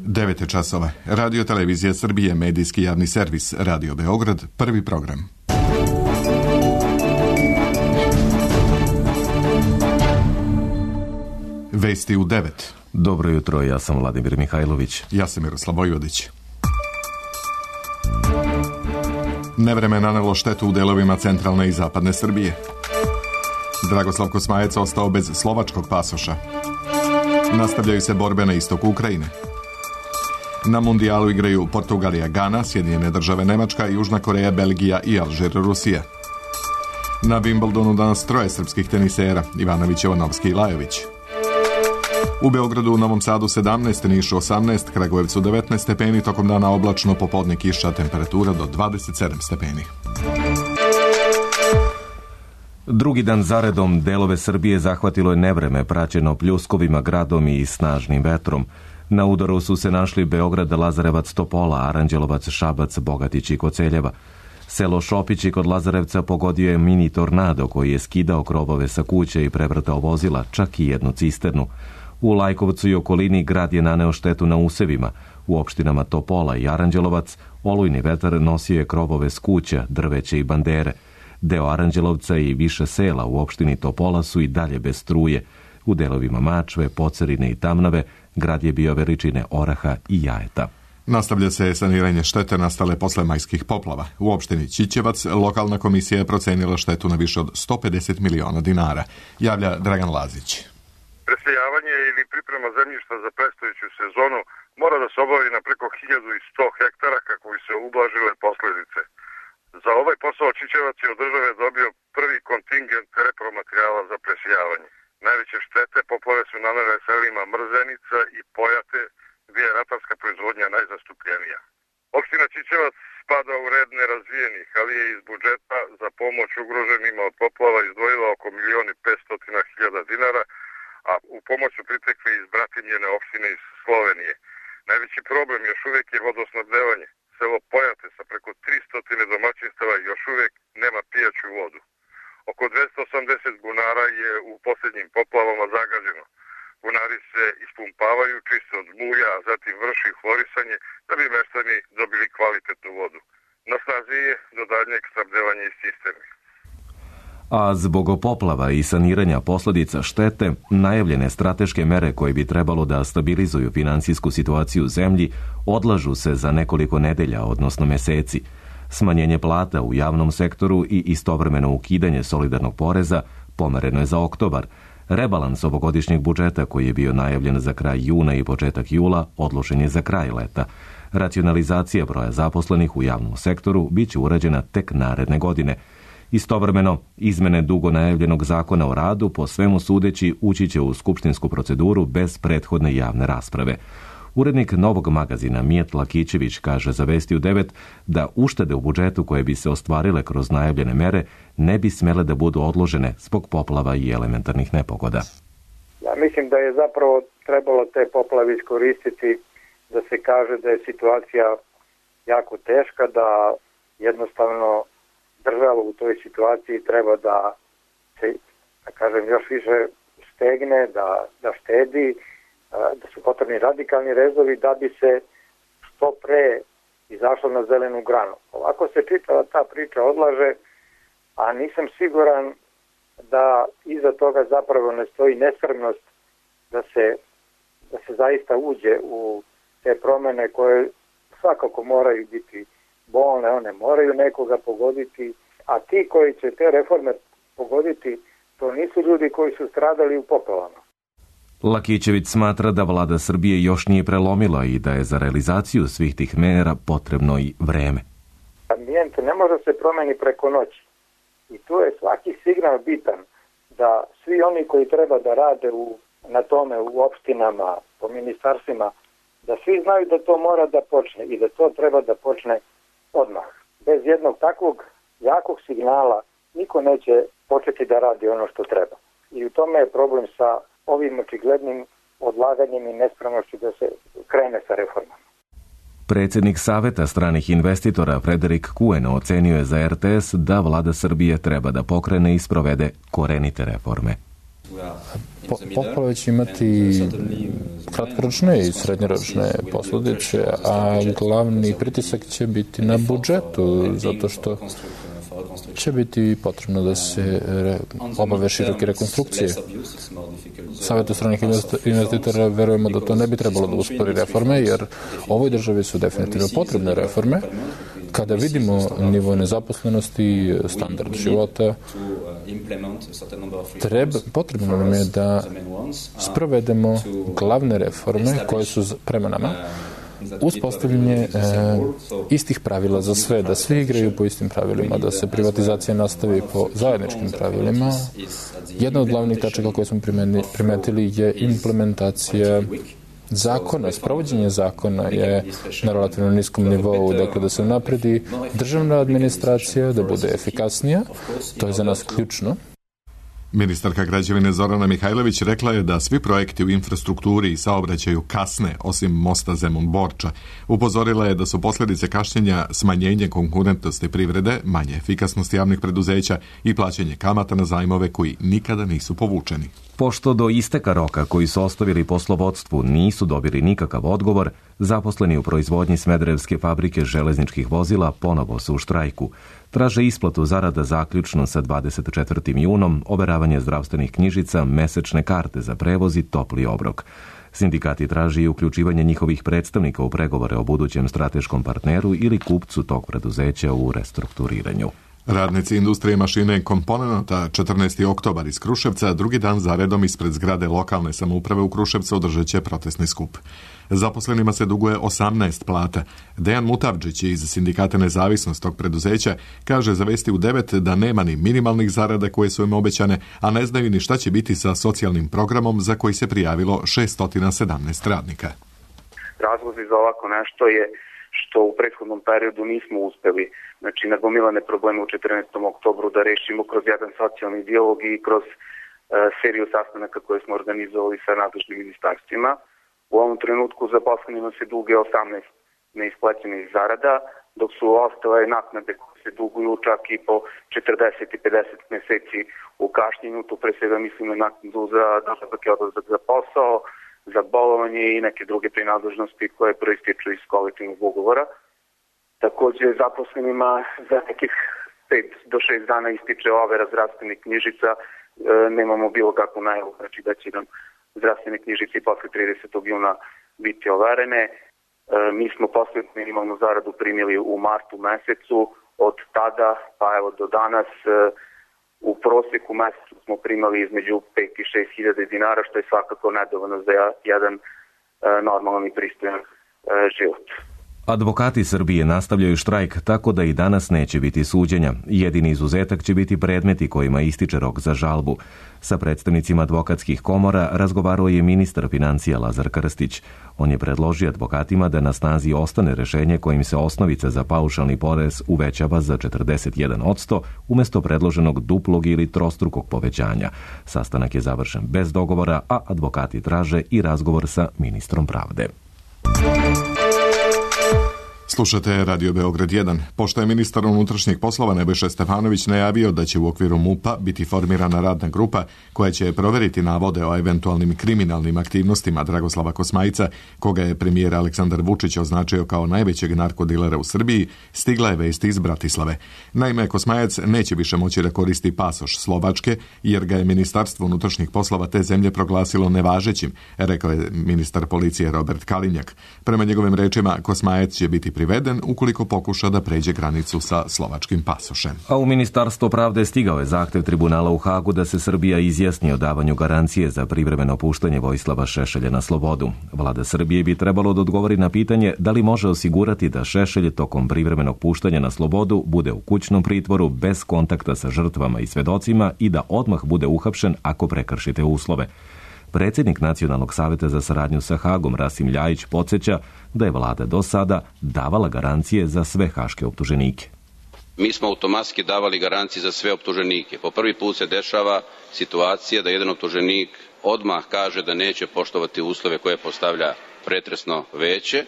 9 je časova. Radio Televizija Srbije, medijski javni servis, Radio Beograd, prvi program. Vesti u 9. Dobro jutro, ja sam Vladimir Mihajlović. Ja sam Miroslav Vojvodić. Nevreme nanelo štetu u delovima centralne i zapadne Srbije. Dragoslav Kosmajac ostao bez slovačkog pasoša. Nastavljaju se borbe na istoku Ukrajine. Na mundijalu igraju Portugalija, Gana, Sjedinjene države Nemačka, Južna Koreja, Belgija i Alžir, Rusija. Na Wimbledonu danas 3 srpskih tenisera, Ivanović, Jovanovski i Lajović. U Beogradu, u Novom Sadu 17, Nišu 18, Kragujevcu 19 stepeni, tokom dana oblačno, popodne kiša, temperatura do 27 stepeni. Drugi dan zaredom delove Srbije zahvatilo je nevreme praćeno pljuskovima, gradom i snažnim vetrom. Na udaru su se našli Beograd, Lazarevac, Topola, Aranđelovac, Šabac, Bogatić i Koceljeva. Selo Šopići kod Lazarevca pogodio je mini tornado koji je skidao krovove sa kuće i prevrtao vozila, čak i jednu cisternu. U Lajkovcu i okolini grad je naneo štetu na usevima. U opštinama Topola i Aranđelovac olujni vetar nosio je krovove s kuća, drveće i bandere. Deo Aranđelovca i više sela u opštini Topola su i dalje bez struje. U delovima Mačve, Pocerine i Tamnave grad je bio veličine oraha i jajeta. Nastavlja se saniranje štete nastale posle majskih poplava. U opštini Ćićevac lokalna komisija je procenila štetu na više od 150 miliona dinara. Javlja Dragan Lazić. Presejavanje ili priprema zemljišta za predstojeću sezonu mora da se obavi na preko 1100 hektara kako bi se ublažile posledice. Za ovaj posao Ćićevac je od države dobio prvi kontingent repromaterijala za presejavanje. Najveće štete poplave su nanele selima Mrzenica i Pojate, gdje je ratarska proizvodnja najzastupljenija. Opština Ćićevac spada u red nerazvijenih, ali je iz budžeta za pomoć ugroženima od poplava izdvojila oko 1.500.000 dinara, a u pomoć su pritekli iz bratimljene opštine iz Slovenije. Najveći problem još uvijek je vodosnabdevanje. Selo Pojate sa preko 300 domaćinstava još uvijek nema pijaću vodu. Oko 280 bunara je u posljednjim poplavama zagađeno. Bunari se ispumpavaju, čiste od mulja, a zatim vrši hlorisanje da bi meštani dobili kvalitetnu vodu. Na snazi je do daljnjeg snabdevanja iz cisterni. A zbog poplava i saniranja posledica štete, najavljene strateške mere koje bi trebalo da stabilizuju finansijsku situaciju u zemlji odlažu se za nekoliko nedelja, odnosno meseci. Smanjenje plata u javnom sektoru i istovremeno ukidanje solidarnog poreza pomereno je za oktobar. Rebalans ovogodišnjeg budžeta koji je bio najavljen za kraj juna i početak jula odložen je za kraj leta. Racionalizacija broja zaposlenih u javnom sektoru bit će urađena tek naredne godine. Istovremeno, izmene dugo najavljenog zakona o radu po svemu sudeći ući će u skupštinsku proceduru bez prethodne javne rasprave. Urednik Novog magazina Mijet Lakićević kaže za Vesti u 9 da uštede u budžetu koje bi se ostvarile kroz najavljene mere ne bi smele da budu odložene zbog poplava i elementarnih nepogoda. Ja mislim da je zapravo trebalo te poplave iskoristiti da se kaže da je situacija jako teška, da jednostavno država u toj situaciji treba da se, da kažem, još više stegne, da štedi, da su potrebni radikalni rezovi da bi se što pre izašlo na zelenu granu. Ovako se čitava ta priča odlaže, a nisam siguran da iza toga zapravo ne stoji nespremnost da se zaista uđe u te promene koje svakako moraju biti bolne, one moraju nekoga pogoditi, a ti koji će te reforme pogoditi, to nisu ljudi koji su stradali u poplavama. Lakićević smatra da vlada Srbije još nije prelomila i da je za realizaciju svih tih mera potrebno i vreme. Ambijent ne može se promeni preko noći. I tu je svaki signal bitan da svi oni koji treba da rade na tome u opštinama, po ministarstvima, da svi znaju da to mora da počne i da to treba da počne odmah. Bez jednog takvog jakog signala niko neće početi da radi ono što treba. I u tome je problem sa ovim očiglednim odlaganjem i nespremnošću da se krene sa reformama. Predsjednik Saveta stranih investitora Frederik Kuen ocenio je za RTS da vlada Srbije treba da pokrene i sprovede korenite reforme. Poplave će imati kratkoročne i srednjoročne posljedice, a glavni pritisak će biti na budžetu, zato što će biti potrebno da se obave široke rekonstrukcije. Savetu stranih investitora verujemo da to ne bi trebalo da uspori reforme, jer ovoj državi su definitivno potrebne reforme. Kada vidimo nivo nezaposlenosti, standard života, potrebno nam je da sprovedemo glavne reforme koje su prema nama, uspostavljanje istih pravila za sve, da svi igraju po istim pravilima, da se privatizacija nastavi po zajedničkim pravilima. Jedna od glavnih tačaka koje smo primetili je implementacija zakona. Sprovođenje zakona je na relativno niskom nivou, dakle da se napredi državna administracija, da bude efikasnija. To je za nas ključno. Ministarka građevine Zorana Mihajlović rekla je da svi projekti u infrastrukturi i saobraćaju kasne, osim mosta Zemun-Borča. Upozorila je da su posljedice kašnjenja smanjenje konkurentnosti privrede, manje efikasnosti javnih preduzeća i plaćanje kamata na zajmove koji nikada nisu povučeni. Pošto do isteka roka koji su ostavili poslovodstvu nisu dobili nikakav odgovor, zaposleni u proizvodnji Smederevske fabrike železničkih vozila ponovo su u štrajku. Traže isplatu zarada zaključno sa 24. junom, overavanje zdravstvenih knjižica, mesečne karte za prevoz i topli obrok. Sindikati traži i uključivanje njihovih predstavnika u pregovore o budućem strateškom partneru ili kupcu tog preduzeća u restrukturiranju. Radnici industrije mašine i komponenata 14. oktobar iz Kruševca drugi dan zaredom ispred zgrade lokalne samouprave u Kruševcu održat će protestni skup. Zaposlenima se duguje 18 plata. Dejan Mutavdžić iz Sindikata Nezavisnost tog preduzeća kaže za Vesti u 9 da nema ni minimalnih zarada koje su im obećane, a ne znaju ni šta će biti sa socijalnim programom za koji se prijavilo 617 radnika. Razlozi za ovako nešto je što u prethodnom periodu nismo uspeli, nagomilane probleme u 14. oktobru da rešimo kroz jedan socijalni dijalog i kroz seriju sastanaka koje smo organizovali sa nadležnim ministarstvima. U ovom trenutku zaposlenima se duge 18 neisplaćenih zarada, dok su ostale naknade koje se duguju čak i po 40 i 50 meseci u kašnjenju. Tu pre svega mislim na naknadu za dolazak i odlazak za posao, za bolovanje i neke druge prinadležnosti koje proističu iz kolektivnog ugovora. Takođe, zaposlenima za nekih 5 do 6 dana ističe overa zdravstvenih knjižica. Nemamo bilo kakvu najavu, da će nam zdravstvene knjižice i posle 30. juna biti overene. Mi smo poslednju minimalnu zaradu primili u martu mesecu. Od tada, pa evo do danas, u proseku mesecu smo primali između 5 i 6 hiljada dinara, što je svakako nedovoljno za jedan normalan i pristojan život. Advokati Srbije nastavljaju štrajk tako da i danas neće biti suđenja. Jedini izuzetak će biti predmeti kojima ističe rok za žalbu. Sa predstavnicima advokatskih komora razgovarao je ministar financija Lazar Krstić. On je predložio advokatima da na snazi ostane rešenje kojim se osnovica za paušalni porez uvećava za 41% umesto predloženog duplog ili trostrukog povećanja. Sastanak je završen bez dogovora, a advokati traže i razgovor sa ministrom pravde. Slušate Radio Beograd 1. Pošto je ministar unutrašnjih poslova Nebojša Stefanović najavio da će u okviru MUP-a biti formirana radna grupa koja će proveriti navode o eventualnim kriminalnim aktivnostima Dragoslava Kosmajca, koga je premijer Aleksandar Vučić označio kao najvećeg narkodilera u Srbiji, stigla je vest iz Bratislave. Naime, Kosmajac neće više moći da koristi pasoš Slovačke, jer ga je Ministarstvo unutrašnjih poslova te zemlje proglasilo nevažećim, rekao je ministar policije Robert Kalinjak. Prema njegovim rečima, Kosmajac će biti priveden ukoliko pokuša da pređe granicu sa slovačkim pasošem. A u Ministarstvo pravde stigao je zahtev tribunala u Hagu da se Srbija izjasni o davanju garancije za privremeno puštanje Vojislava Šešelja na slobodu. Vlada Srbije bi trebalo da odgovori na pitanje da li može osigurati da Šešelj tokom privremenog puštanja na slobodu bude u kućnom pritvoru bez kontakta sa žrtvama i svedocima i da odmah bude uhapšen ako prekršite uslove. Predsjednik Nacionalnog saveta za saradnju sa Hagom Rasim Ljajić podsjeća da je vlada do sada davala garancije za sve haške optuženike. Mi smo automatski davali garancije za sve optuženike. Po prvi put se dešava situacija da jedan optuženik odmah kaže da neće poštovati uslove koje postavlja pretresno veće,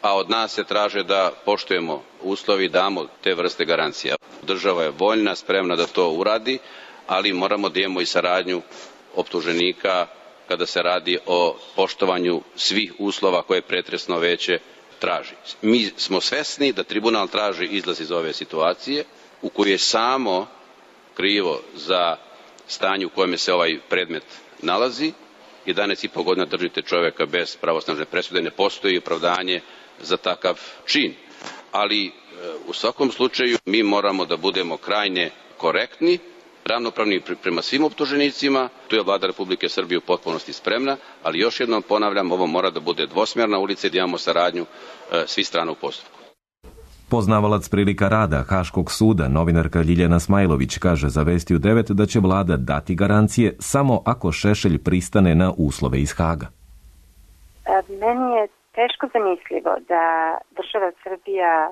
a od nas se traže da poštujemo uslovi i damo te vrste garancija. Država je voljna, spremna da to uradi, ali moramo da imamo i saradnju optuženika kada se radi o poštovanju svih uslova koje pretresno veće traži. Mi smo svesni da tribunal traži izlaz iz ove situacije u kojoj je samo krivo za stanje u kojem se ovaj predmet nalazi. 11,5 godina držite čoveka bez pravosnažne presude, ne postoji opravdanje za takav čin. Ali u svakom slučaju mi moramo da budemo krajnje korektni, ravnopravni prema svim optuženicima. Tu je Vlada Republike Srbije u potpunosti spremna, ali još jednom ponavljam, ovo mora da bude dvosmjerna ulica i da imamo saradnju svih strana u postupku. Poznavalac prilika rada Haškog suda, novinarka Ljiljana Smajlović, kaže za Vesti u 9 da će vlada dati garancije samo ako Šešelj pristane na uslove iz Haga. Meni je teško zamislivo da država Srbija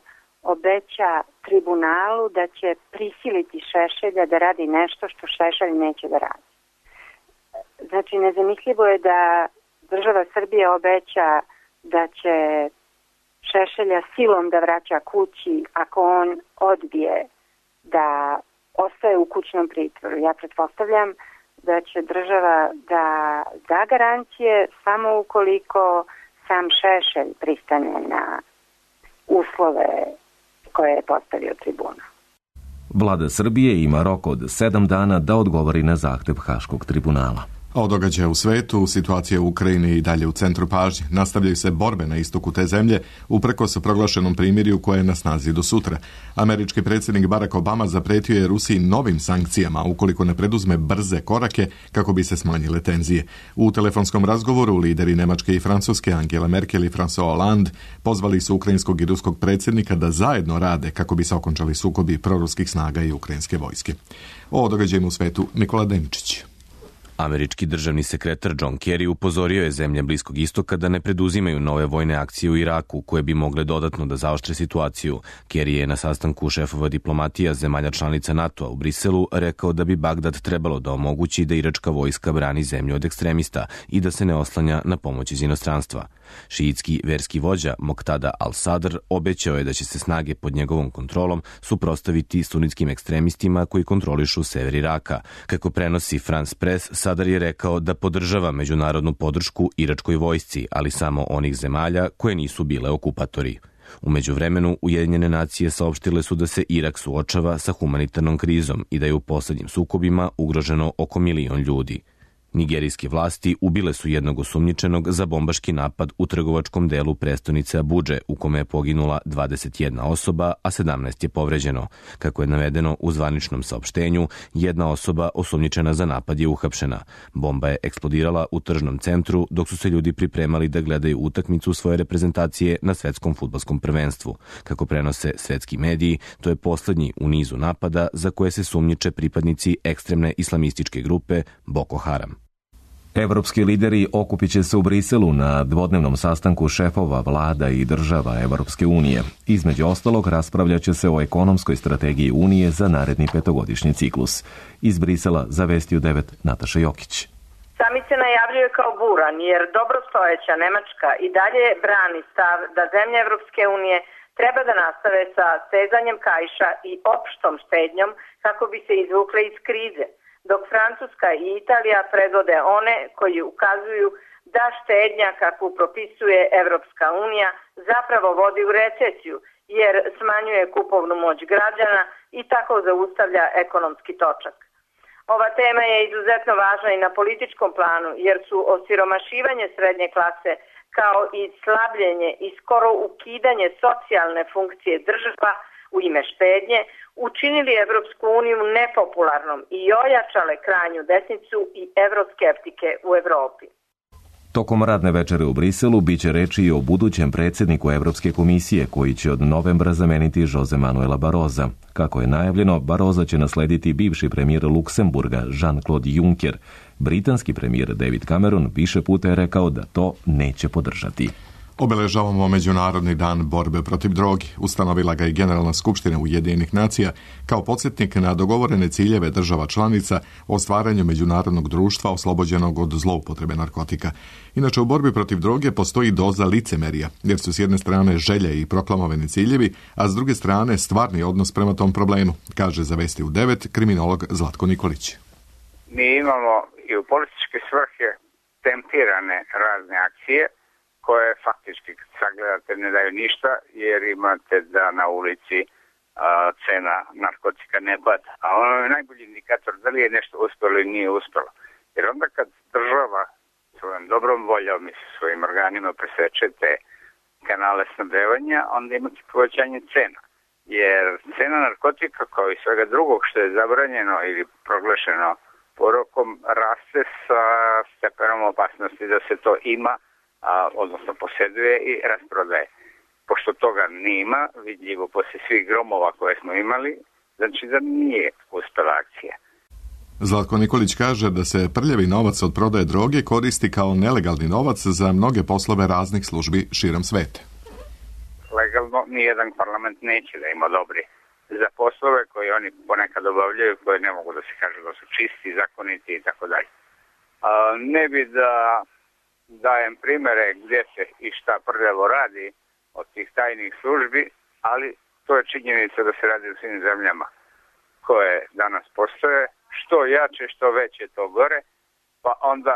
obeća tribunalu da će prisiliti Šešelja da radi nešto što Šešelj neće da radi. Znači, nezamislivo je da država Srbija obeća da će Šešelja silom da vraća kući ako on odbije da ostaje u kućnom pritvoru. Ja pretpostavljam da će država da garancije samo ukoliko sam Šešelj pristane na uslove koje je postavio tribunal. Vlada Srbije ima rok od 7 dana da odgovori na zahtev Haškog tribunala. A o događaju u svetu, situacija u Ukrajini i dalje u centru pažnje. Nastavljaju se borbe na istoku te zemlje, uprkos proglašenom primirju koje je na snazi do sutra. Američki predsjednik Barack Obama zapretio je Rusiji novim sankcijama ukoliko ne preduzme brze korake kako bi se smanjile tenzije. U telefonskom razgovoru lideri Nemačke i Francuske Angela Merkel i François Hollande pozvali su ukrajinskog i ruskog predsjednika da zajedno rade kako bi se okončali sukobi proruskih snaga i ukrajinske vojske. O događajima u svetu Nikola Deničić. Američki državni sekretar John Kerry upozorio je zemlje Bliskog istoka da ne preduzimaju nove vojne akcije u Iraku, koje bi mogle dodatno da zaoštre situaciju. Kerry je na sastanku šefova diplomatija zemalja članica NATO-a u Briselu rekao da bi Bagdad trebalo da omogući da iračka vojska brani zemlju od ekstremista i da se ne oslanja na pomoć iz inostranstva. Šiitski verski vođa Moqtada al-Sadr obećao je da će se snage pod njegovom kontrolom suprotstaviti sunitskim ekstremistima koji kontrolišu sever Iraka. Kako prenosi France Press, Sadr je rekao da podržava međunarodnu podršku iračkoj vojsci, ali samo onih zemalja koje nisu bile okupatori. U međuvremenu, Ujedinjene nacije saopštile su da se Irak suočava sa humanitarnom krizom i da je u poslednjim sukobima ugroženo oko 1 milion ljudi. Nigerijske vlasti ubile su jednog osumnjičenog za bombaški napad u trgovačkom delu prestonice Abudže, u kome je poginula 21 osoba, a 17 je povređeno. Kako je navedeno u zvaničnom saopštenju, jedna osoba osumnjičena za napad je uhapšena. Bomba je eksplodirala u tržnom centru dok su se ljudi pripremali da gledaju utakmicu svoje reprezentacije na svetskom fudbalskom prvenstvu. Kako prenose svetski mediji, to je poslednji u nizu napada za koje se sumnjiče pripadnici ekstremne islamističke grupe Boko Haram. Evropski lideri okupit će se u Briselu na dvodnevnom sastanku šefova vlada i država Evropske unije. Između ostalog, raspravljat će se o ekonomskoj strategiji Unije za naredni 5-godišnji ciklus. Iz Brisela za Vesti u 9 Nataša Jokić. Samit se najavljuje kao buran, jer dobrostojeća Nemačka i dalje brani stav da zemlje Evropske unije treba da nastave sa stezanjem kaiša i opštom štednjom kako bi se izvukle iz krize, dok Francuska i Italija predvode one koji ukazuju da štednja kakvu propisuje Evropska unija zapravo vodi u recesiju, jer smanjuje kupovnu moć građana i tako zaustavlja ekonomski točak. Ova tema je izuzetno važna i na političkom planu, jer su osiromašivanje srednje klase kao i slabljenje i skoro ukidanje socijalne funkcije država u ime štednje učinili Evropsku uniju nepopularnom i ojačale krajnju desnicu i evroskeptike u Evropi. Tokom radne večere u Briselu biće reči i o budućem predsjedniku Evropske komisije koji će od novembra zameniti Jose Manuela Barroza. Kako je najavljeno, Barroza će naslediti bivši premijer Luksemburga Jean-Claude Juncker. Britanski premijer David Cameron više puta je rekao da to neće podržati. Obeležavamo Međunarodni dan borbe protiv droge. Ustanovila ga i Generalna skupština Ujedinjenih nacija kao podsjetnik na dogovorene ciljeve država članica o stvaranju međunarodnog društva oslobođenog od zloupotrebe narkotika. Inače, u borbi protiv droge postoji doza licemerija, jer su s jedne strane želje i proklamovani ciljevi, a s druge strane stvarni odnos prema tom problemu, kaže za Vesti u 9 kriminolog Zlatko Nikolić. Mi imamo i u političke svrhe tempirane razne akcije koje faktički kad sagledate ne daju ništa jer imate da na ulici cena narkotika ne pada. A ono je najbolji indikator da li je nešto uspjelo ili nije uspjelo. Jer onda kad država svojom dobrom voljom i svojim organima preseče te kanale snabdevanja, onda imate povećanje cena. Jer cena narkotika kao i svega drugog što je zabranjeno ili proglašeno porokom raste sa stepenom opasnosti da se to ima, odnosno posjeduje i rasprodaje. Pošto toga nima, vidljivo poslije svih gromova koje smo imali, znači da nije uspjela akcija. Zlatko Nikolić kaže da se prljavi novac od prodaje droge koristi kao nelegalni novac za mnoge poslove raznih službi širom sveta. Legalno nijedan parlament neće da ima dobri za poslove koje oni ponekad obavljaju, koje ne mogu da se kaže da su čisti, zakoniti i tako dalje. Ne bi da dajem primere gdje se i šta prljavo radi od tih tajnih službi, ali to je činjenica da se radi u svim zemljama koje danas postoje. Što jače, što veće, to gore, pa onda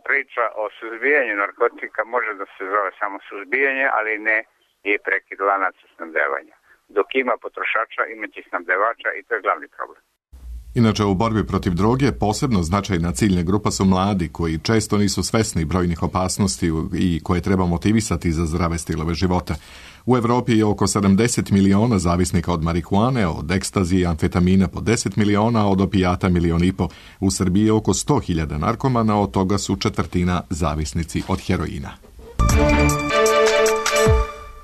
priča o suzbijanju narkotika može da se zove samo suzbijanje, ali ne i prekid lanaca snabdevanja. Dok ima potrošača, imaće snabdevača i to je glavni problem. Inače, u borbi protiv droge posebno značajna ciljna grupa su mladi koji često nisu svesni brojnih opasnosti i koje treba motivisati za zdrave stilove života. U Evropi je oko 70 miliona zavisnika od marihuane, od ekstazije i amfetamina po 10 miliona, od opijata 1,5 miliona. U Srbiji je oko 100.000 narkomana, od toga su 1/4 zavisnici od heroina.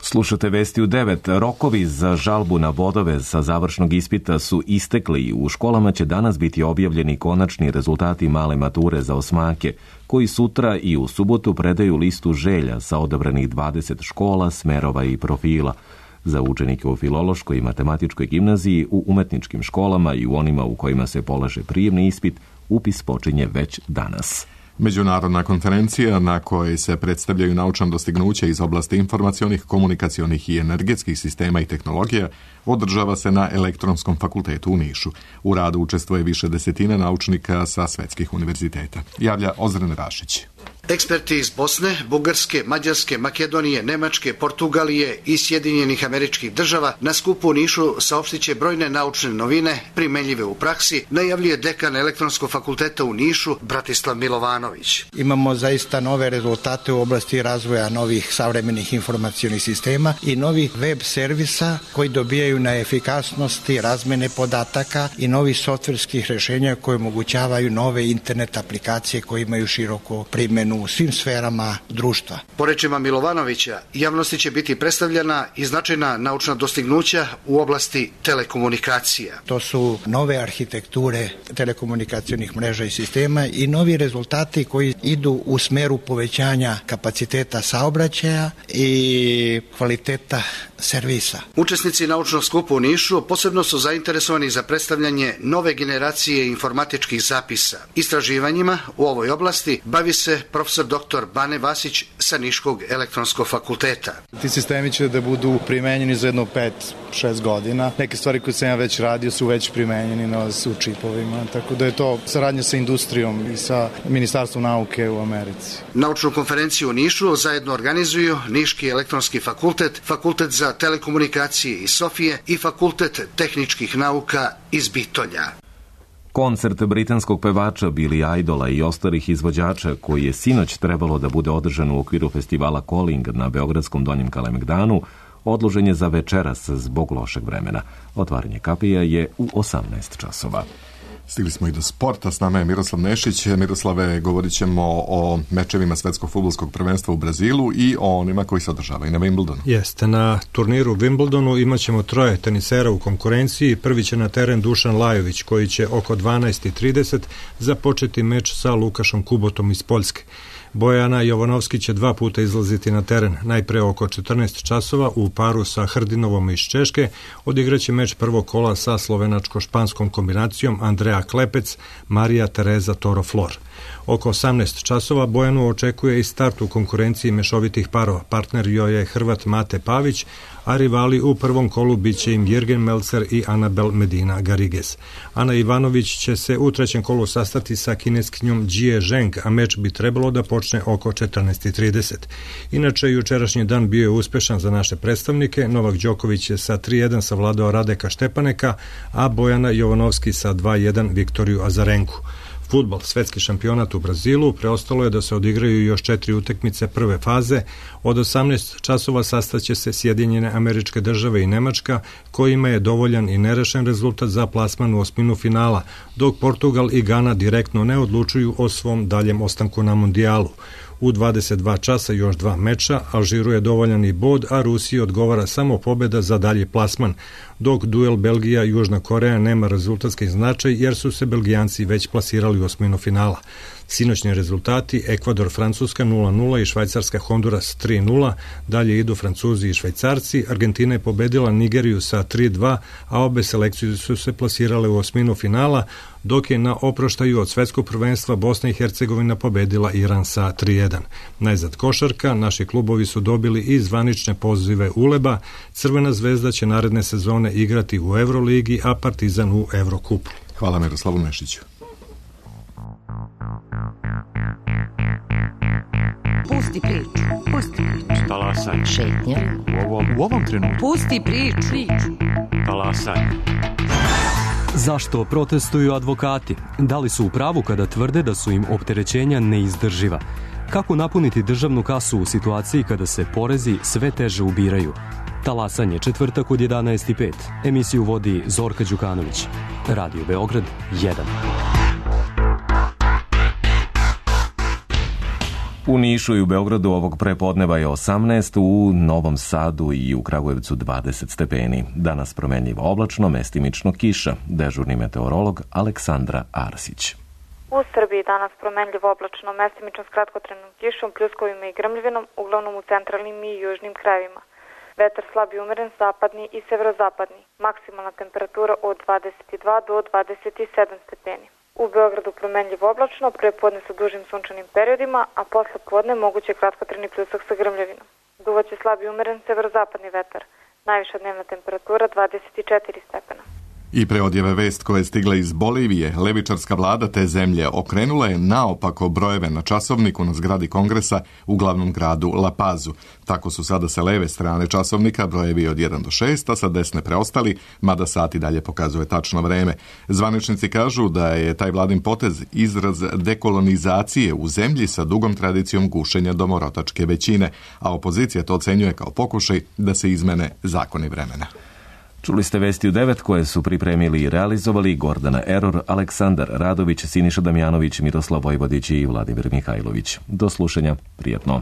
Slušate vesti u 9. Rokovi za žalbu na bodove sa završnog ispita su istekli. U školama će danas biti objavljeni konačni rezultati male mature za osmake, koji sutra i u subotu predaju listu želja sa odabranih 20 škola, smerova i profila. Za učenike u Filološkoj i Matematičkoj gimnaziji, u umetničkim školama i u onima u kojima se polaže prijemni ispit, upis počinje već danas. Međunarodna konferencija na kojoj se predstavljaju naučna dostignuća iz oblasti informacionih, komunikacionih i energetskih sistema i tehnologija održava se na Elektronskom fakultetu u Nišu. U radu učestvuje više desetina naučnika sa svetskih univerziteta. Javlja Ozren Rašić. Eksperti iz Bosne, Bugarske, Mađarske, Makedonije, Nemačke, Portugalije i Sjedinjenih Američkih Država na skupu u Nišu saopštit će brojne naučne novine primenljive u praksi, najavljuje dekan Elektronskog fakulteta u Nišu Bratislav Milovanović. Imamo zaista nove rezultate u oblasti razvoja novih savremenih informacionih sistema i novih web servisa koji dobijaju na efikasnosti razmene podataka i novih softverskih rešenja koje omogućavaju nove internet aplikacije koje imaju široko primjenu u svim sferama društva. Po rečima Milovanovića, javnosti će biti predstavljena i značajna naučna dostignuća u oblasti telekomunikacija. To su nove arhitekture telekomunikacionih mreža i sistema i novi rezultati koji idu u smeru povećanja kapaciteta saobraćaja i kvaliteta servisa. Učesnici naučnog skupa u Nišu posebno su zainteresovani za predstavljanje nove generacije informatičkih zapisa. Istraživanjima u ovoj oblasti bavi se profesor dr. Bane Vasić sa Niškog elektronskog fakulteta. Ti sistemi će da budu primenjeni za jedno 5-6 godina. Neke stvari koje sam ja već radio su već primenjeni, nalaze se u čipovima, tako da je to saradnja sa industrijom i sa Ministarstvom nauke u Americi. Naučnu konferenciju u Nišu zajedno organizuju Niški elektronski fakultet, Fakultet za telekomunikacije iz Sofije i Fakultet tehničkih nauka iz Bitolja. Koncert britanskog pevača Billy Idola i ostalih izvođača, koji je sinoć trebalo da bude održan u okviru festivala Calling na beogradskom Donjem Kalemegdanu, odložen je za večeras zbog lošeg vremena. Otvaranje kapija je u 18 časova. Stigli smo i do sporta, s nama je Miroslav Nešić. Miroslave, govorit ćemo o mečevima svetskog fudbalskog prvenstva u Brazilu i o onima koji se održavaju na Wimbledonu. Jeste, na turniru u Wimbledonu imat ćemo 3 tenisera u konkurenciji. Prvi će na teren Dušan Lajović, koji će oko 12:30 započeti meč sa Lukašom Kubotom iz Poljske. Bojana Jovanovski će 2 puta izlaziti na teren. Najpre oko 14 časova u paru sa Hrdinovom iz Češke odigraće meč prvog kola sa slovenačko-španskom kombinacijom Andrea Klepec, Marija Tereza Toro-Flor. Oko 18 časova Bojanu očekuje i start u konkurenciji mešovitih parova. Partner joj je Hrvat Mate Pavić, a rivali u prvom kolu biće im Jürgen Melzer i Anabel Medina Garrigues. Ana Ivanović će se u trećem kolu sastati sa kineskinjom Jie Zheng, a meč bi trebalo da počne oko 14:30. Inače, jučerašnji dan bio je uspešan za naše predstavnike. Novak Đoković je sa 3:1 savladao Radeka Štepaneka, a Bojana Jovanovski sa 2:1 Viktoriju Azarenku. Fudbal, svetski šampionat u Brazilu, preostalo je da se odigraju još 4 utakmice prve faze. Od 18 časova sastaće se Sjedinjene Američke Države i Nemačka, kojima je dovoljan i nerešen rezultat za plasman u osminu finala, dok Portugal i Gana direktno ne odlučuju o svom daljem ostanku na mondijalu. U 22 časa još 2 meča, Alžiru je dovoljan i bod, a Rusiji odgovara samo pobeda za dalji plasman, dok duel Belgija-Južna Koreja nema rezultatski značaj jer su se Belgijanci već plasirali u osminu finala. Sinoćni rezultati: Ekvador-Francuska 0:0 i Švajcarska-Honduras 3:0, dalje idu Francuzi i Švajcarci, Argentina je pobedila Nigeriju sa 3:2, a obe selekcije su se plasirale u osminu finala, dok je na oproštaju od svetskog prvenstva Bosna i Hercegovina pobedila Iran sa 3:1. Najzad košarka, naši klubovi su dobili i zvanične pozive ULEB-a, Crvena zvezda će naredne sezone igrati u Euroligi, a Partizan u Evrokupu. Hvala Miroslavu Nešiću. Pusti priču, pusti priču. Talasaj. Šetnja. U ovom trenutku. Pusti priču. Talasaj. Zašto protestuju advokati? Da li su u pravu kada tvrde da su im opterećenja neizdrživa? Kako napuniti državnu kasu u situaciji kada se porezi sve teže ubiraju? Talasanje, četvrtak od 11:05. Emisiju vodi Zorka Đukanović. Radio Beograd 1. U Nišu i u Beogradu ovog prepodneva je 18, u Novom Sadu i u Kragujevcu 20 stepeni. Danas promenljivo oblačno, mestimično kiša. Dežurni meteorolog Aleksandra Arsić. U Srbiji danas promenljivo oblačno, mestimično s kratkotrajnom kišom, pljuskovima i grmljavinom, uglavnom u centralnim i južnim krajevima. Vetar slab i umeren, zapadni i severozapadni. Maksimalna temperatura od 22 do 27 stepeni. U Beogradu promenljivo oblačno, prepodne sa dužim sunčanim periodima, a posle podne moguće kratkotrajni pljusak sa grmljavinom. Duvaće slab i umeren severozapadni vetar. Najviša dnevna temperatura 24 stepena. I pre odjave vest koje je stigla iz Bolivije, levičarska vlada te zemlje okrenula je naopako brojeve na časovniku na zgradi Kongresa u glavnom gradu La Pazu. Tako su sada sa leve strane časovnika brojevi od 1 do 6, a sa desne preostali, mada sat i dalje pokazuje tačno vreme. Zvaničnici kažu da je taj vladin potez izraz dekolonizacije u zemlji sa dugom tradicijom gušenja domorotačke većine, a opozicija to ocenjuje kao pokušaj da se izmene zakoni vremena. Čuli ste vesti u 9 koje su pripremili i realizovali Gordana Eror, Aleksandar Radović, Siniša Damjanović, Miroslav Vojvodić i Vladimir Mihajlović. Do slušanja, prijatno.